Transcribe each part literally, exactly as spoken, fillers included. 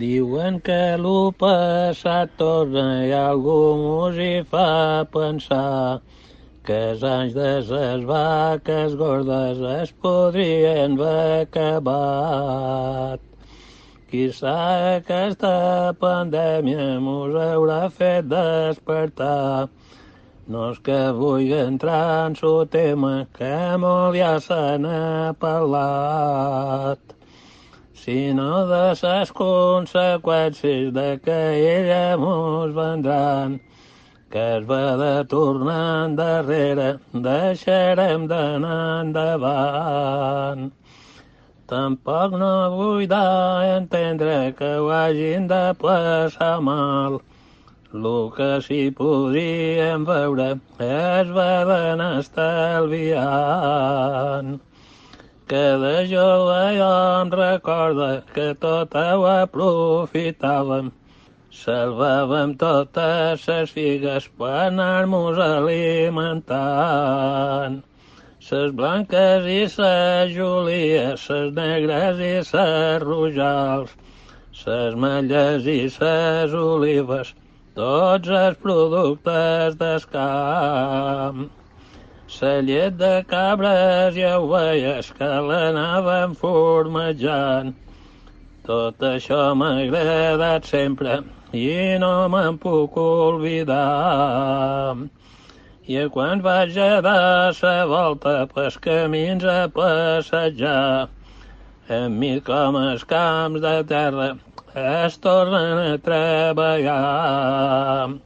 Diuen que lo passat torna i algú mos hi fa pensar que els anys de ses vaques gordes es podrien haver acabat. Qui sap aquesta pandèmia mos haurà fet despertar. No és que vull entrar en su tema, que molt ja se n'ha parlat, sinó de ses conseqüències de que ella mos vendran, que es va de tornar endarrere, deixarem d'anar endavant. Tampoc no vull dar a entendre que ho hagin de passar mal. Lo que sí podríem veure es va d'anar estalviant. Que de jove jo em recorda que tot ho aprofitàvem. Salvàvem totes ses figues per anar-nos alimentant. Ses blanques i ses julies, ses negres i ses rojals, ses metlles i ses olives, tots els productes del camp. La llet de cabres i ovelles que l'anaven formejant. Tot això m'ha agradat sempre i no me'n puc oblidar. I quan vaig a dar la volta pels camins a passejar, hem vist com els camps de terra es tornen a treballar.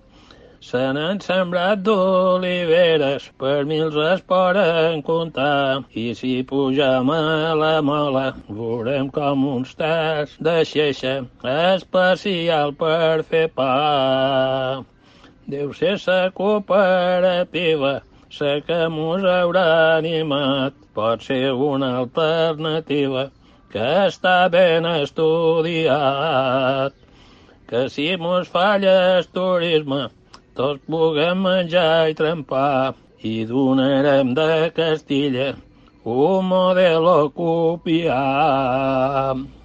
Se n'han sembrat d'oliveres, per mils es poden comptar, i si pugem a la mola veurem com uns tacs de xeixa especial per fer pa. Deu ser la cooperativa la que mos haurà animat, pot ser una alternativa que està ben estudiat. Que si mos falla el turisme, tots puguem menjar i trempar, i donarem de Castilla un model a copiar.